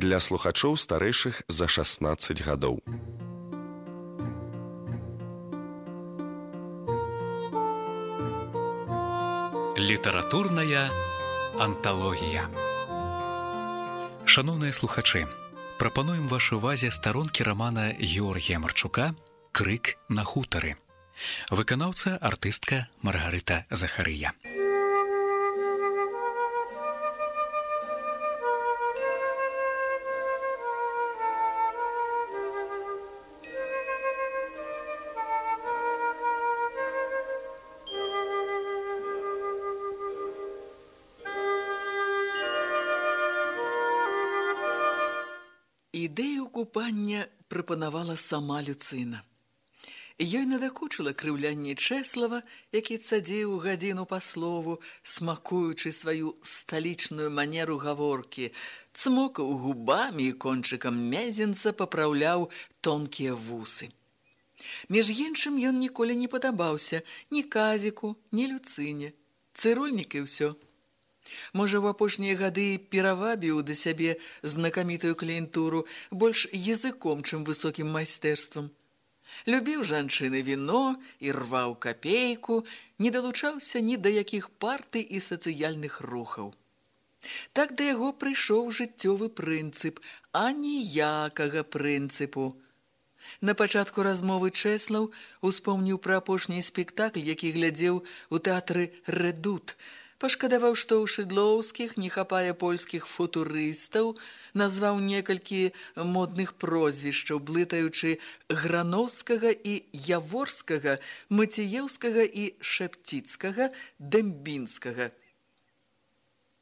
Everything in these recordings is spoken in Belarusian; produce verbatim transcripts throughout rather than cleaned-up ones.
для слухачоў старэйшых за шаснаццаць гадоў. Літаратурная анталогія. Шаноўныя слухачы, прапануем вашай увазе старонкі рамана Георгія Марчука «Крык на хутары». Выканаўца артыстка Маргарыта Захарыя. Ідэю купання прапанавала сама Люцына. Ёй надакучыла крыўлянне Чэслава, які цадзіў гадзіну па слову, смакуючы сваю сталічную манеру гаворкі, цмокаў губамі і кончыкам мезенца папраўляў тонкія вусы. Між іншым ён ніколі не падабаўся ні Казіку, ні Люцыне. Цырульнік і ўсё. Можа, у апошнія гады перавабіў да сябе знакамітую кліентуру больш языком, чым высокім майстэрствам. Любіў жанчыны віно і рваў капейку, не далучаўся ні да якіх партый і сацыяльных рухаў. Так да яго прыйшоў жыццёвы прынцып, а ніякага прынцыпу. На пачатку размовы Чэслаў успомніў пра апошні спектакль, які глядзеў у тэатры «Рэдут», пашкадаваў, што ў Шыдлоўскіх не хапае польскіх футурыстаў, назваў некалькі модных прозвішчаў, блытаючы Грановскага і Яворскага, Маціеўскага і Шэпціцкага, Дэмбінскага.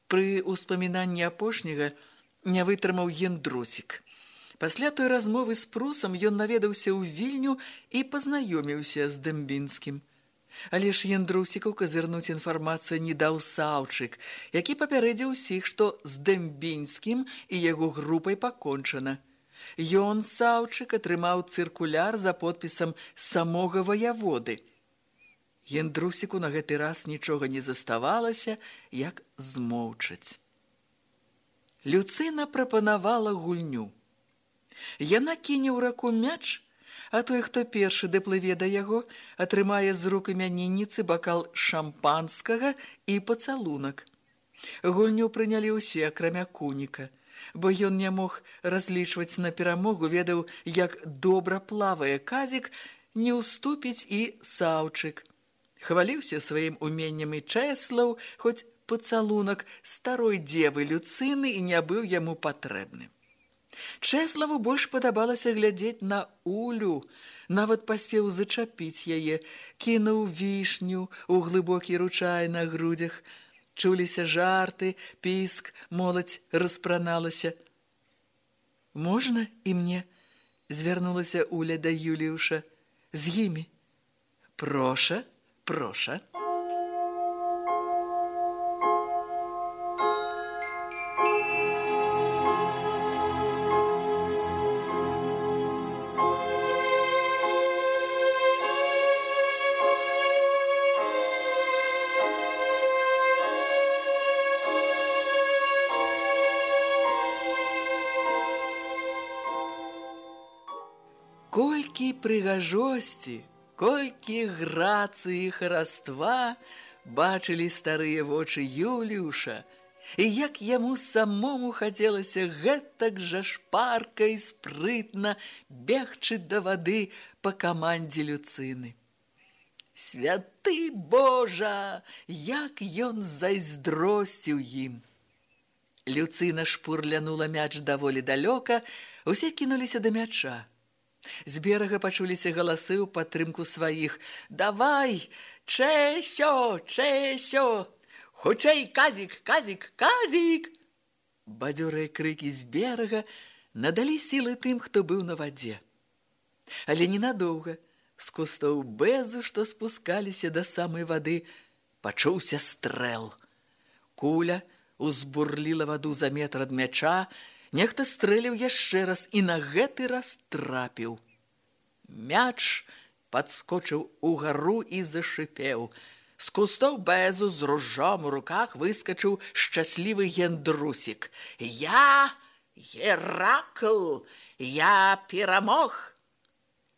Пры ўспамінанні апошняга не вытрымаў Яндрусік. Пасля той размовы з Прусам ён наведаўся ў Вільню і пазнаёміўся з Дэмбінскім. Але ж Яндрусіку казырнуць інфармацыю не даў Саўчык, які папярэдзіў усіх, што з Дэмбінскім і яго групай пакончана. Ён, Саўчык, атрымаў цыркуляр за подпісам самога ваяводы. Яндрусіку на гэты раз нічога не заставалася, як змоўчаць. Люцына прапанавала гульню. Яна кіне ў раку мяч, а той, хто першы даплыве да яго, атрымае з рук імянінніцы бакал шампанскага і пацалунак. Гульню прынялі ўсе, акрамя Куніка, бо ён не мог разлічваць на перамогу, ведаў, як добра плавае Казік, не ўступіць і Саўчык. Хваліўся сваім уменнем і Чэслаў, хоць пацалунак старой дзевы Люцыны і не быў яму патрэбны. Чэславу больш падабалася глядзець на Улю, нават паспеў зачапіць яе, кінуў вішню ў глыбокі ручай на грудзях. Чуліся жарты, піск, моладзь распраналася. «Можна і мне?» – звярнулася Уля да Юліуша. «З імі?» «Проша, проша». Колькі прыгажосці, колькі грацыі хараства бачылі старыя вочы Юліуша, і як яму самому хацелася гэтак жа шпарка і спрытна бегчы да вады па камандзе Люцыны. Святы Божа, як ён зайздросціў ім! Люцына шпурлянула мяч даволі далёка, усе кінуліся да мяча. З берага пачуліся галасы ў падтрымку сваіх. «Давай! Чэсё! Чэсё! Хутчэй, Казік! Казік! Казік!» Бадзёрыя крыкі з берага надалі сілы тым, хто быў на вадзе. Але ненадоўга. З кустоў бэзу, што спускаліся да самай вады, пачуўся стрэл. Куля узбурліла ваду за метр ад мяча, нехта стрэліў яшчэ раз і на гэты раз трапіў. Мяч падскочыў угару і зашыпеў. З кустоў бэзу з ружом у руках выскачыў шчаслівы Яндрусік. «Я! Геракл, я перамог!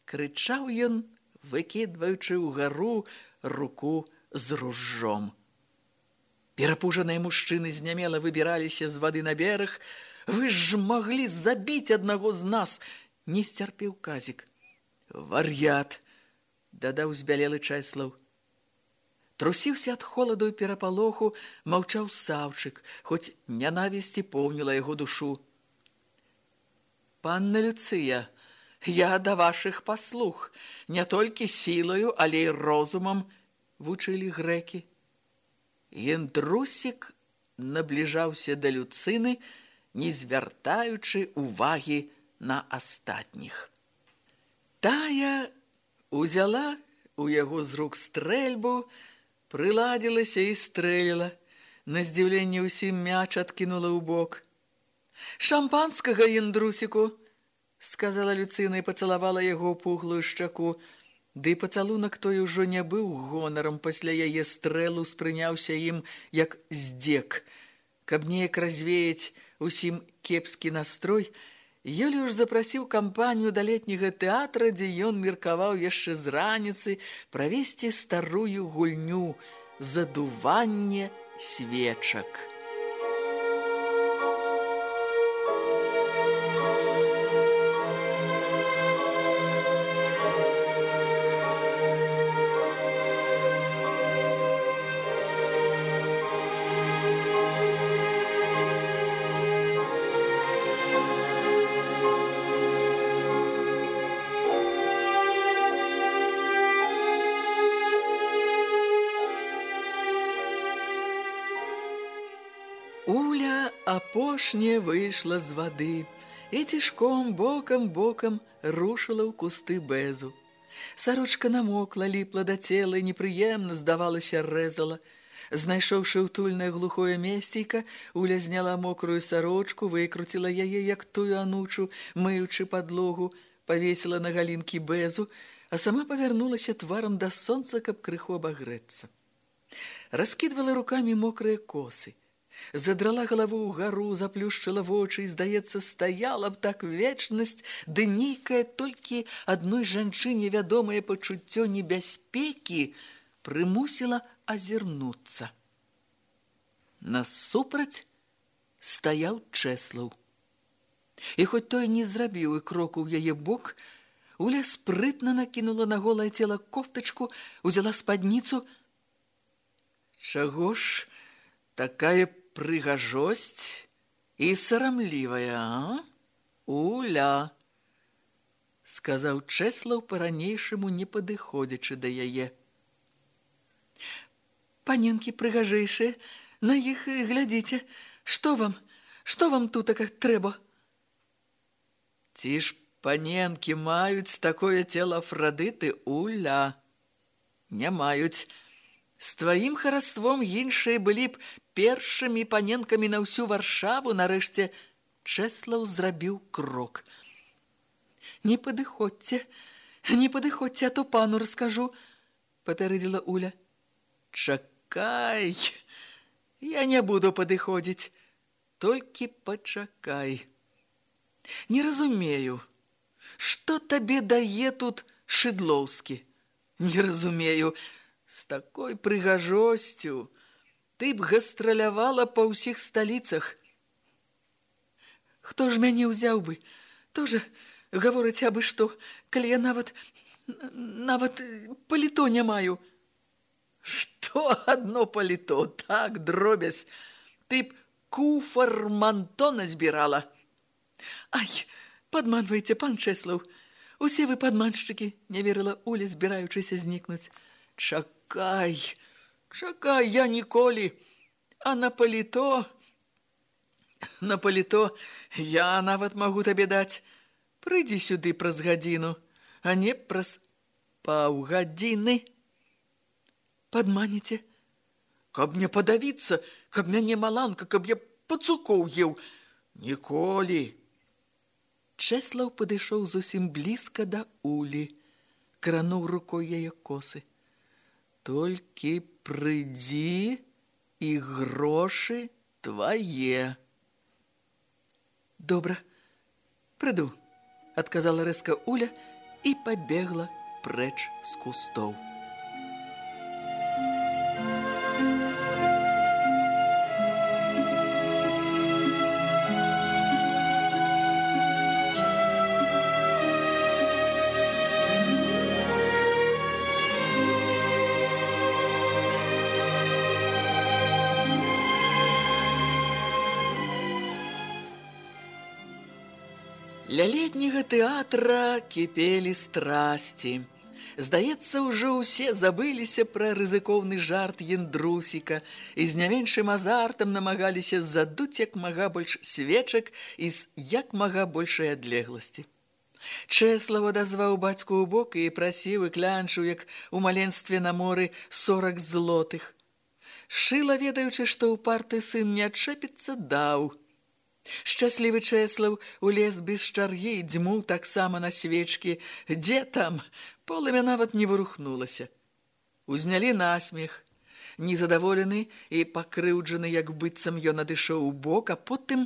Крычаў ён, выкідваючы ўгару руку з ружжом. Перапужаныя мужчыны знямела выбіраліся з вады на бераг. Вы ж маглі забіць аднаго з нас, не сцярпеў Казік. Вар'ят, дадаў збялелы Чэслаў. Трусіўся ад холаду і перапалоху, маўчаў Саўчык, хоць нянавісці поўніла яго душу. Панна Люцыя, я да вашых паслуг, не толькі сілаю, але і розумам, вучылі грэкі. Яндрусік набліжаўся да Люцыны, не звяртаючы ўвагі на астатніх. Тая узяла у яго з рук стрэльбу, прыладзілася і стрэліла. На здзіўленне ўсім мяч адкінула ў бок. «Шампанскага, Яндрусіку!» — сказала Люцына і пацалавала яго ў пухлую шчаку. Ды пацалунак той ужо не быў гонарам, пасля яе стрэлу спрыняўся ім як здзек. Каб неяк развеяць усім кепскі настрой, Юліуш запрасіў кампанію да летняга тэатра, дзе ён меркаваў яшчэ з раніцы правесці старую гульню «Задуванне свечак». Уля апошняя выйшла з вады і цішком бокам-бокам рушыла ў кусты бэзу. Сарочка намокла, ліпла да цела і непрыемна, здавалася, рэзала. Знайшоўшы утульнае глухое месцейка, Уля зняла мокрую сарочку, выкруціла яе, як тую анучу, мыючы падлогу, павесіла на галінкі бэзу, а сама павярнулася тварам да сонца, каб крыху абагрэцца. Раскідвала рукамі мокрыя косы. Задрала галаву ўгару, заплюшчыла вочы і, здаецца, стаяла б так вечнасць, ды нейкае толькі адной жанчыне вядомае пачуццё небяспекі прымусіла азірнуцца. Насупраць стаяў Чэслаў. І хоць той не зрабіў і кроку ў яе бок, Уля спрытна накінула на голае цела кофтачку, узяла спадніцу. Чаго ж такая прыгажосць і сарамлівая, а? Уля, сказаў Чэслаў па-ранейшаму, не падыходзячы да яе. Паненкі прыгажэйшыя, на іх глядзіце. Што вам? Што вам тутака трэба? Ці ж паненкі маюць такое цела Афрадыты, Уля? Не маюць. З тваім хараством іншыя былі б першымі паненкамі на ўсю Варшаву. Нарэшце Чэслаў зрабіў крок. Не падыходзьце, не падыходзьце, а то пану раскажу, папярэдзіла Уля. Чакай, я не буду падыходзіць, толькі пачакай. Не разумею, што табе дае тут Шыдлоўскі? Не разумею, з такой прыгажосцю ты б гастралявала па ўсіх сталіцах. Хто ж мяне ўзяў бы? Тоже гаворыць абы што, калі я нават, нават паліто не маю. Што адно паліто, так, дробязь, ты б куфар мантона збірала. Ай, падманвайце, пан Чэслаў, усе вы падманшчыкі, не верыла Уля, збіраючыся знікнуць. Чакай, чакай, я ніколі, а на паліто, на паліто я нават магу табе даць. Прыйдзі сюды праз гадзіну, а не праз паўгадзіны. Падманіце? Каб не падавіцца, каб мяне маланка, каб я пацукоў еў. Ніколі. Чэслаў падышоў зусім блізка да Улі, крануў рукой яе косы. Толькі прыйдзі, і грошы твае. Добра, прыду, адказала рэзка Уля і пабегла прэч з кустоў. Ля летняга тэатра кіпелі страсці. Здаецца, ўжо ўсе забыліся пра рызыкоўны жарт Яндрусіка і з не меншым азартам намагаліся задуць як мага больш свечак і з як мага большай адлегласці. Чэслаў адазваў бацьку ў бок і прасіў і клянчыў, як у маленстве на моры, сорак злотых. Шыла, ведаючы, што ў парты сын не адчэпіцца, даў. Шчаслівы Чэслаў улез без чаргі, дзьмуў таксама на свечкі. Дзе там? Полымя нават не вырухнулася. Узнялі насмех. Незадаволены і пакрыўджаны, як быццам ён адышоў у бок, а потым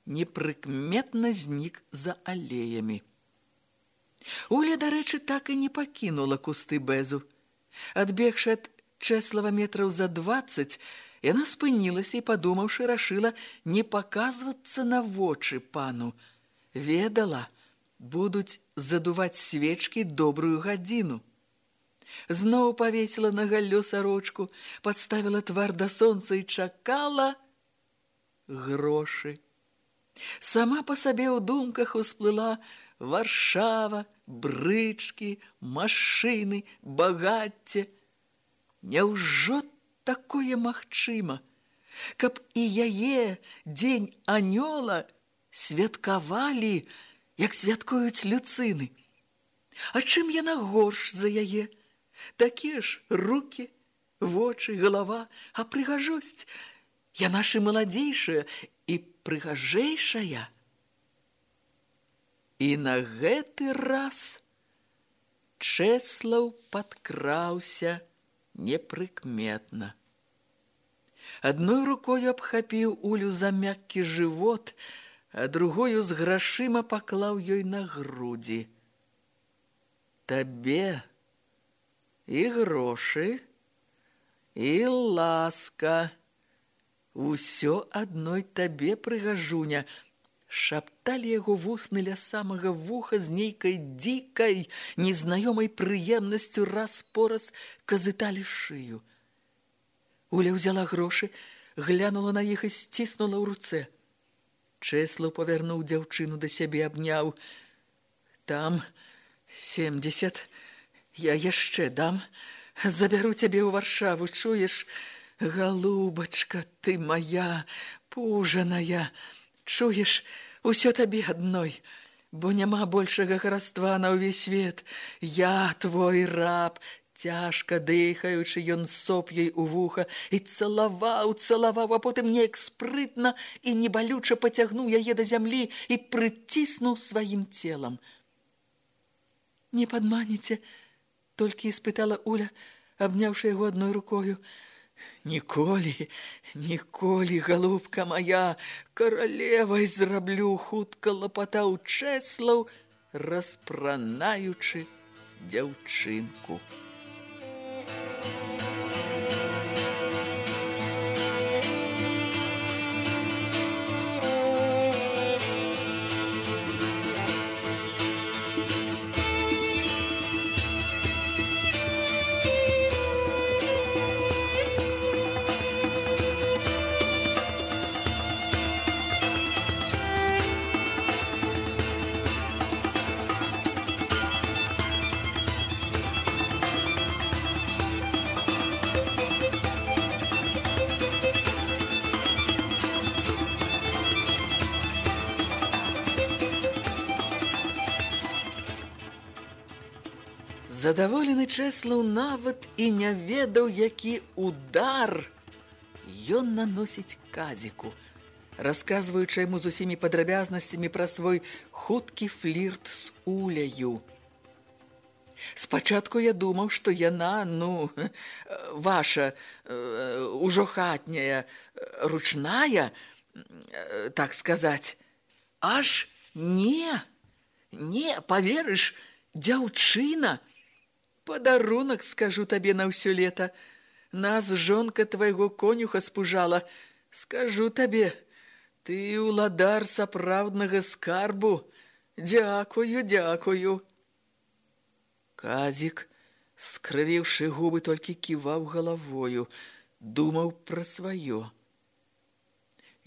непрыкметна знік за алеямі. Уля, дарэчы, так і не пакінула кусты бэзу. Адбегшы ад Чэслава метраў за дваццаць, яна спынілася і, падумаўшы, рашыла не паказвацца на вочы пану. Ведала, будуць задуваць свечкі добрую гадзіну. Зноў павесіла на галлё сарочку, падставіла твар да сонца і чакала грошы. Сама па сабе ў думках усплыла Варшава, брычкі, машыны, багацце. Няўжо такое магчыма, каб і яе, дзень анёла, святкавалі, як святкуюць люцыны? А чым яна горш за яе? Такія ж рукі, вочы, галава, а прыгажосць, яна ж і маладзейшая, і прыгажэйшая. І на гэты раз Чэслаў падкраўся непрыкметна. Адной рукою абхапіў Улю за мяккі жывот, а другою з грашыма паклаў ёй на грудзі. Табе і грошы, і ласка, усё адной табе, прыгажуня, шапталі яго вусны ля самага вуха з нейкай дзікай, незнаёмай прыемнасцю, раз-пораз казыталі шыю. Уля ўзяла грошы, глянула на іх і сціснула ў руцэ. Чэслаў павярнуў дзяўчыну да сябе, абняў. Там семдзесят, я яшчэ дам, забяру цябе ў Варшаву, чуеш? Галубачка ты моя, пужаная, чуеш, усё табе адной, бо няма большага хараства на ўвесь свет. Я твой раб. Цяжка дыхаючы, ён соп ёй у вуха і цалаваў, цалаваў, а потым неяк спрытна і небалюча пацягнуў яе да зямлі і прыціснуў сваім целам. Не падманіце, толькі і спытала Уля, абняўшы яго адной рукою. Ніколі, ніколі, галубка моя, каралевай зраблю, хутка лапатаў Чэслаў, распранаючы дзяўчынку. Задаволены Чэслаў нават і не ведаў, які удар ён наносіць Казіку, расказваючы яму з усімі падрабязнасцямі пра свой хуткі флірт з Уляю. Спачатку я думаў, што яна, ну, ваша, ужо хатняя, ручная, так сказаць. Аж не, не, поверыш, дзяўчына. Падарунак, скажу табе на ўсё лета. Нас жонка твайго конюха спужала. Скажу табе, ты уладар сапраўднага скарбу. Дзякую, дзякую. Казік, скрывіўшы губы, толькі ківаў галавою, думаў пра сваё.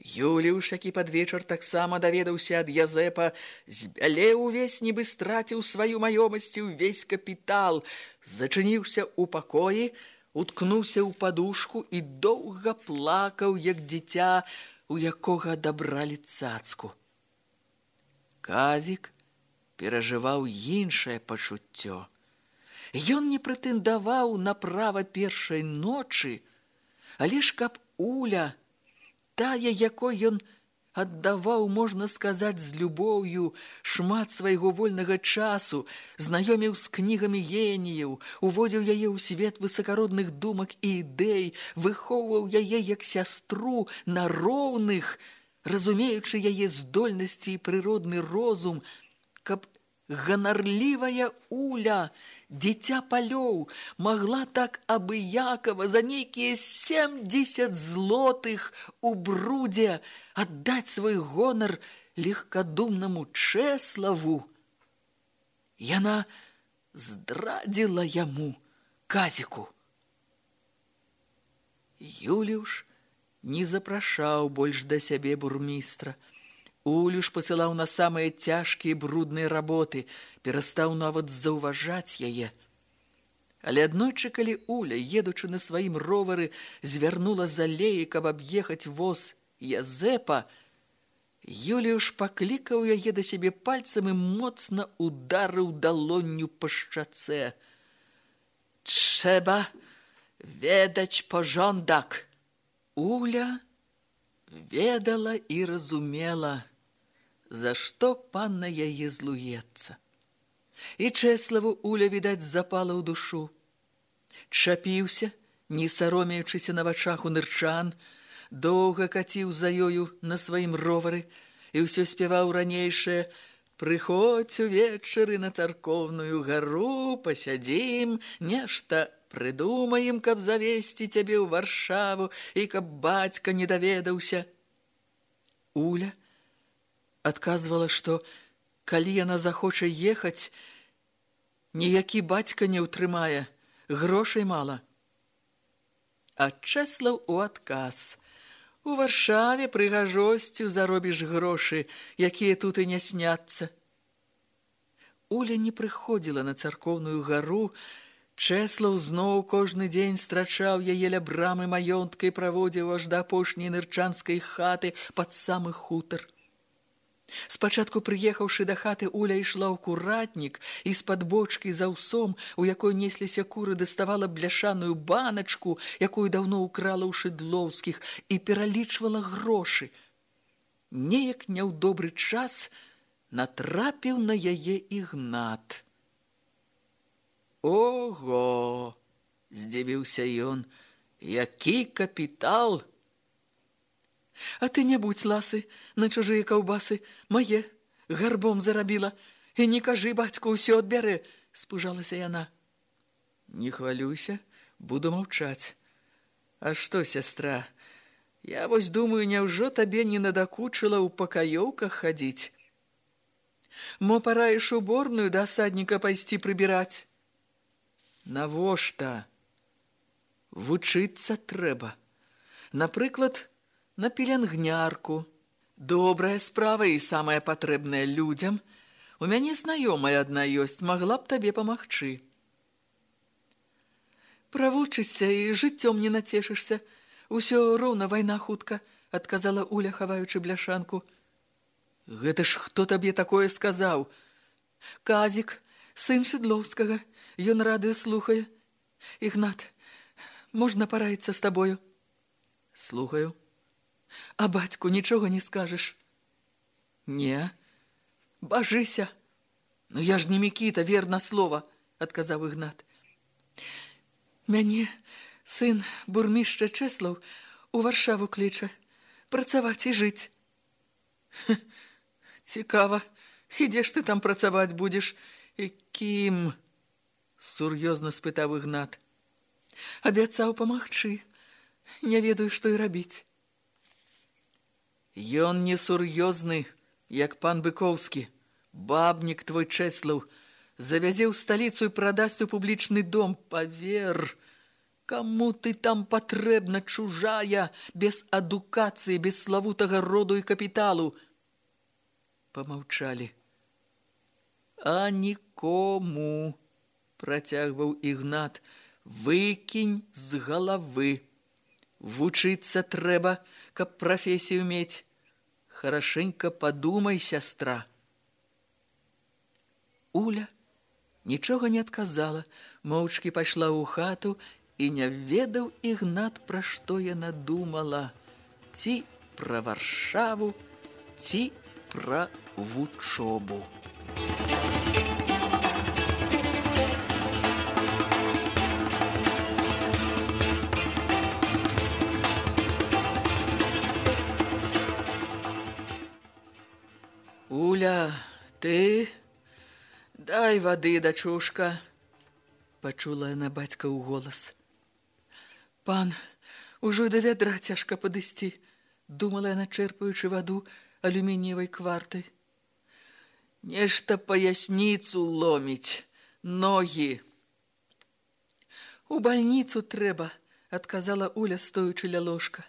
Юліуш, які пад вечар таксама даведаўся ад Язэпа, збялеў увесь, нібы страціў сваю маёмасць і ўвесь капітал, зачыніўся ў пакоі, уткнуўся ў падушку і доўга плакаў, як дзіця, у якога адабралі цацку. Казік перажываў іншае пачуццё. Ён не прэтэндаваў на права першай ночы, але ж каб Уля, тая, якой ён аддаваў, можна сказаць, з любоўю шмат свайго вольнага часу, знаёміў з кнігамі геніяў, уводзіў яе ў свет высакародных думак і ідэй, выхоўваў яе як сястру на роўных, разумеючы яе здольнасці і прыродны розум, каб ганарлівая Уля, дзіця палёў, магла так абыякава за нейкія семдзесят злотых у брудзе аддаць свой гонар легкадумнаму Чэславу. Яна здрадзіла яму, Казіку. Юліуш не запрашаў больш да сябе бурмістра. Улю ж пасылаў на самыя цяжкія брудныя работы, перастаў нават заўважаць яе. Але аднойчы, калі Уля, едучы на сваім ровары, звярнула з алеі, каб аб'ехаць воз Язэпа, Юліуш паклікаў яе да сябе пальцам і моцна ударыў далонню па шчацэ. «Trzeba ведаць porządek!» Уля ведала і разумела, за што пан на яе злуецца. І Чэславу Уля, відаць, запала ў душу. Чапіўся, не саромеючыся на вачах у нырчан, доўга каціў за ёю на сваім ровары і ўсё спяваў ранейшае: «Прыходзь увечары на царкоўную гару, пасядзім, нешта прыдумаем, каб завесці цябе ў Варшаву і каб бацька не даведаўся». Уля адказвала, што калі яна захоча ехаць, ніякі бацька не ўтрымае, грошай мала. А Чэслаў у адказ: «У Варшаве прыгажосцю заробіш грошы, якія тут і не сняцца». Уля не прыходзіла на царкоўную гару. Чэслаў зноў кожны дзень страчаў яе ля брамы маёнтка і праводзіў аж да апошняй нырчанскай хаты пад самы хутар. Спачатку, прыехаўшы да хаты, Уля ішла ў куратнік і з-пад бочкі з аўсом, у якой несліся куры, даставала бляшаную баначку, якую даўно ўкрала ў Шыдлоўскіх, і пералічвала грошы. Неяк не ў добры час натрапіў на яе Ігнат. «Ого!» – здзівіўся ён. «Які капітал!» «А ты не будь ласы на чужыя каўбасы, мае, гарбом зарабіла, і не кажы, бацьку ўсё адбярэ», – спужалася яна. «Не хвалюйся, буду маўчаць. А што, сястра, я вось думаю, няўжо табе не надакучыла ў пакаёўках хадзіць? Мо параіш уборную да асадніка пайсці прыбіраць?» «Навошта? Вучыцца трэба. Напрыклад, на пеленгнярку. Добрая справа і самая патрэбная людзям. У мяне знаёмая адна ёсць, магла б табе памагчы». «Правучышся і жыццём не нацешышся. Усё роўна вайна хутка», – адказала Уля, хаваючы бляшанку. «Гэта ж хто табе такое сказаў?» «Казік, сын Шыдлоўскага. Ён радыё слухае. Ігнат, можна параіцца з табою?» «Слухаю». «А бацьку нічога не скажаш?» «Не». «Бажыся». «Ну я ж не Мікіта, верна слова», – адказаў Ігнат. «Мяне сын бурмішча Чэслаў у Варшаву кліча, працаваць і жыць». Цікава, і дзе ж ты там працаваць будзеш? І кім? Сур'ёзна спытаў Ігнат. Абяцаў памагчы. Не ведаю, што і рабіць. Ён не сур'ёзны, як пан Быкоўскі. Бабнік твой Чэслаў завязе ў сталіцу і прадасць у публічны дом. Павер, каму ты там патрэбна, чужая, без адукацыі, без славутага роду і капіталу? Памаўчалі. А нікому, працягваў Ігнат, выкінь з галавы. Вучыцца трэба, каб прафесію мець. Харашенька падумай, сястра. Уля нічога не адказала, моўчкі пайшла ў хату, і не ведаў Ігнат, пра што яна думала. Ці пра Варшаву, ці пра вучобу. Уля, ты... Дай вады, дачушка, пачула яна бацькаў голас. Пан, ужо да вядра цяжка падысці, думала яна, чэрпаючы ваду алюмініевай квартай. Нешта паясніцу ломіць, ногі. У бальніцу трэба, адказала Уля, стоючы ля ложка.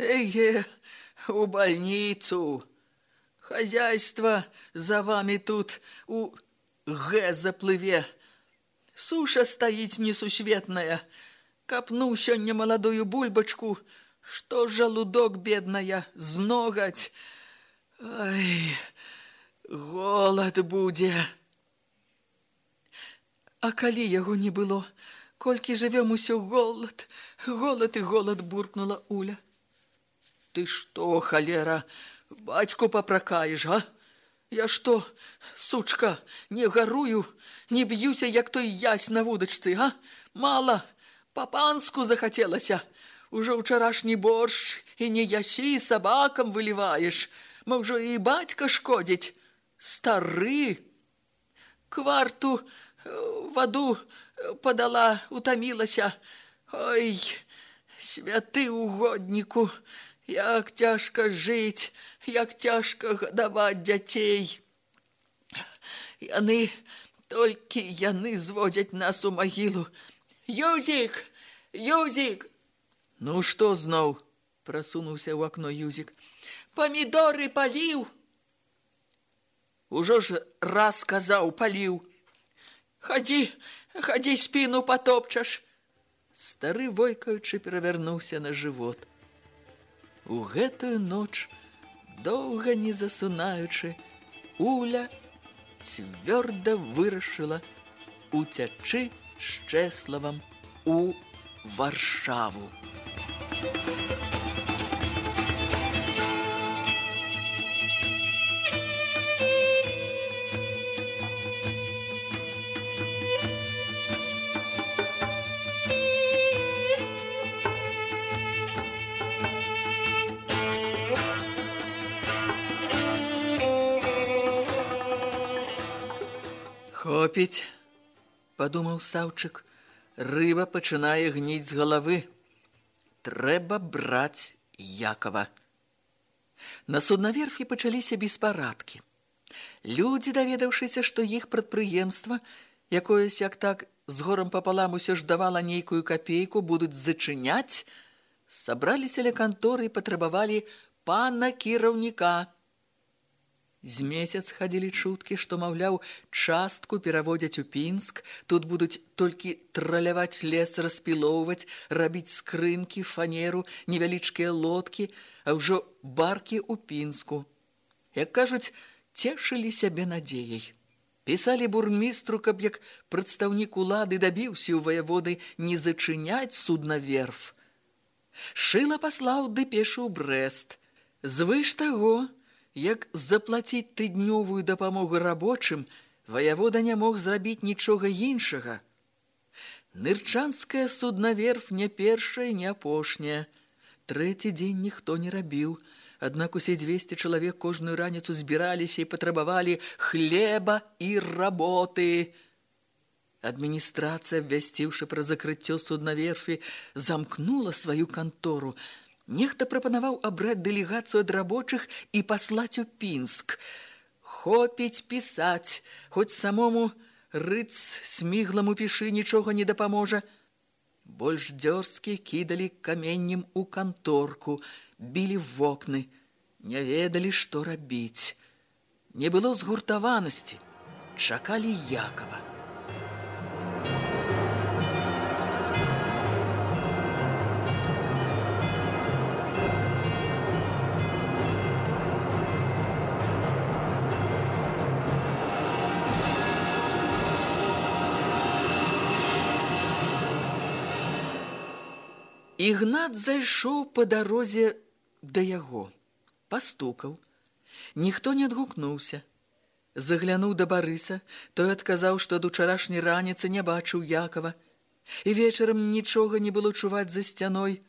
Эге, у бальніцу. Хозяйство за вами тут у гэ заплыве. Суша стаіць несусветная. Капну сёння маладую бульбачку, што жалудок бедная, зногаць. Ай, голад будзе. А калі яго не было, колькі жывём усё голад, голад і голад, буркнула Уля. Ты што, халера, бацьку папракаеш, а? Я што, сучка, не гарую, не б'юся, як той ясь на вудачцы, а? Мала, па-панску захацелася. Ужо ўчарашні боршч і не ясі, сабакам выліваеш. Мо ўжо і бацька шкодзіць. Стары. Кварту ваду падала, утамілася. Ой, святы угодніку, як цяжка жыць, як цяжка гадаваць дзяцей. Яны, толькі яны зводзяць нас у магілу. Юзік, Юзік! Ну што зноў? Прасунуўся ў акно Юзік. Памідоры паліў? Ужо ж раз казаў, паліў. Хадзі, хадзі, спіну патопчаш. Стары, войкаючы, перавярнуўся на жывот. У гэтую ноч, доўга не засунаючы, Уля цвёрда вырашыла уцячы з Чэславам у Варшаву. Хопіць, падумаў Саўчык, рыба пачынае гніць з галавы. Трэба браць Якова. На суднаверфі пачаліся беспарадкі. Людзі, даведаўшыся, што іх прадпрыемства, якое сяк так з горам папалам усё ж давала нейкую капейку, будуць зачыняць, сабраліся ля канторы і патрабавалі пана кіраўніка. З месяц хадзілі чуткі, што, маўляў, частку пераводзяць у Пінск, тут будуць толькі траляваць лес, распілоўваць, рабіць скрынкі, фанеру, невялічкія лодкі, а ўжо баркі ў Пінску. Як кажуць, цешылі сябе надзеяй. Пісалі бурмістру, каб як прадстаўнік улады дабіўся ў ваяводы не зачыняць суднаверф. Шыла паслаў дэпешу ў Брэст. Звыш таго, як заплаціць тыднёвую дапамогу рабочым, ваявода не мог зрабіць нічога іншага. Нырчанская суднаверф не першая, не апошняя. Трэці дзень ніхто не рабіў, Аднак усе дзвесце чалавек кожную раніцу збіраліся і патрабавалі хлеба і работы. Адміністрацыя, абвясціўшы пра закрыццё суднаверфі, замкнула сваю кантору. Нехта прапанаваў абраць дэлегацыю ад рабочых і паслаць у Пінск. Хопіць пісаць, хоць самому рыц смігламу пішы нічога не дапаможа. Больш дзёрзкі кідалі каменнем у канторку, білі в вокны, не ведалі, што рабіць. Не было згуртаванасці, чакалі Якова. Ігнат зайшоў па дарозе да яго, пастукаў. Ніхто не адгукнуўся. Заглянуў да Барыса, той адказаў, што ад учарашняй раніцы не бачыў Якова, і вечарам нічога не было чуваць за сцяной.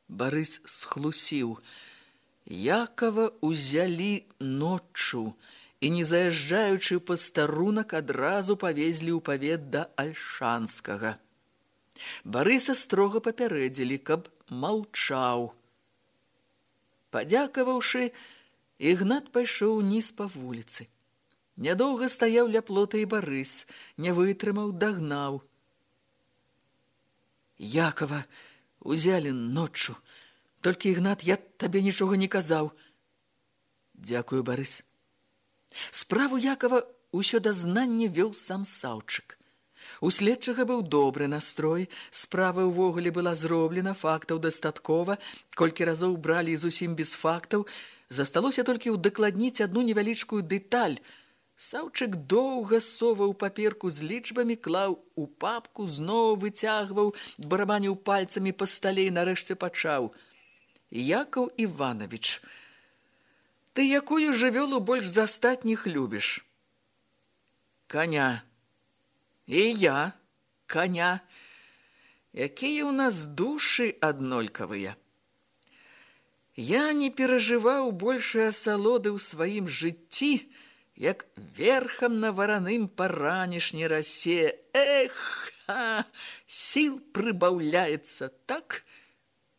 Барыс схлусіў. Якова ўзялі ноччу і, не заязджаючы ў пастарунак, адразу павезлі ў павет да Альшанскага. Барыса строга папярэдзілі, каб маўчаў. Падзякаваўшы, Ігнат пайшоў уніз па вуліцы. Нядоўга стаяў ля плота і Барыс, не вытрымаў, дагнаў. Якова узялі ноччу. Толькі, Ігнат, я табе нічога не казаў. Дзякую, Барыс. Справу Якова ўсё дазнанне вёў сам Саўчык. У следчага быў добры настрой, справа ўвогуле была зроблена, фактаў дастаткова, колькі разоў бралі зусім без фактаў, засталося толькі ўдакладніць адну невялічкую дэталь. Саўчык доўга соваў паперку з лічбамі, клаў у папку, зноў выцягваў, барабаніў пальцамі па стале і нарэшце пачаў. Якаў Іванович, ты якую жывёлу больш за астатніх любіш? Коня. І я, коня. Якія ў нас душы аднолькавыя. Я не перажываў большай асалоды ў сваім жыцці, як верхам на вараным паранішні расе. Эх, ха, сіл прыбаўляецца, так?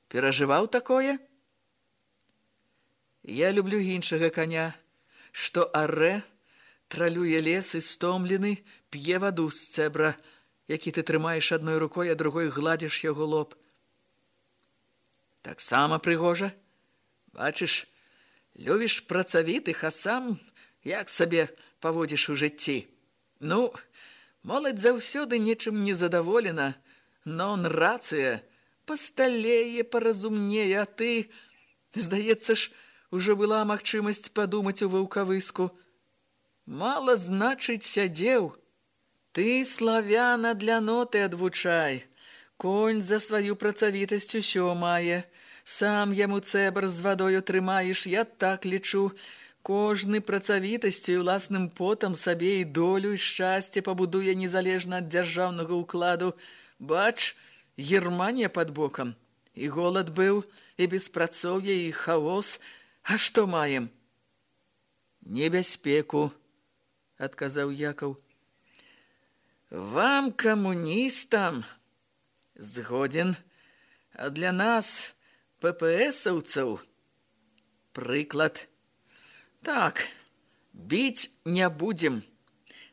Перажываў такое? Я люблю іншага коня, што арэ, тралюе лес і стомлены, п'е ваду з цэбра, які ты трымаеш адной рукой, а другой гладзіш яго лоб. Таксама прыгожа. Бачыш, любіш працавітых, а сам як сабе паводзіш у жыцці. Ну, моладзь заўсёды нечым незадаволена, нон рацыя, пасталее, паразумнее, а ты, здаецца ж, ужо была магчымасць падумаць у ваўкавыску. Мала, значыць, сядзеў. Ты, славяна, для ноты адвучай. Конь за сваю працавітасць усё мае. Сам яму цэбр з вадою трымаеш, я так лічу. Кожны працавітасцю і ўласным потам сабе і долю, і шчасце пабудуе незалежна ад дзяржаўнага ўкладу. Бач, Германія пад бокам. І голад быў, і беспрацоўе, і хаос. А што маем? Небяспеку, адказаў Якаў. Вам, камуністам, згоден, а для нас, пэ-пэ-эсаўцаў, прыклад. Так, біць не будзем.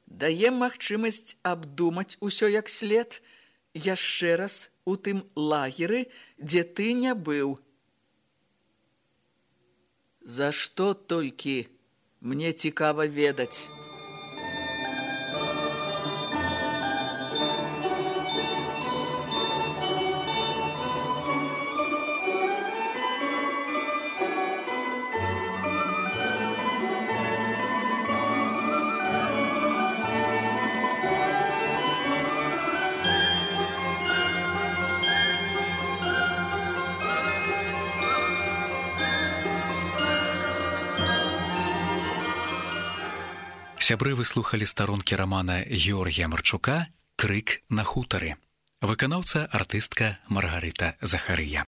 Даем магчымасць абдумаць усё як след, яшчэ раз у тым лагеры, дзе ты не быў. За што толькі мне цікава ведаць. Сябры, вы слухалі старонкі рамана Георгія Марчука «Крык на хутары». Выканаўца артыстка Маргарыта Захарыя.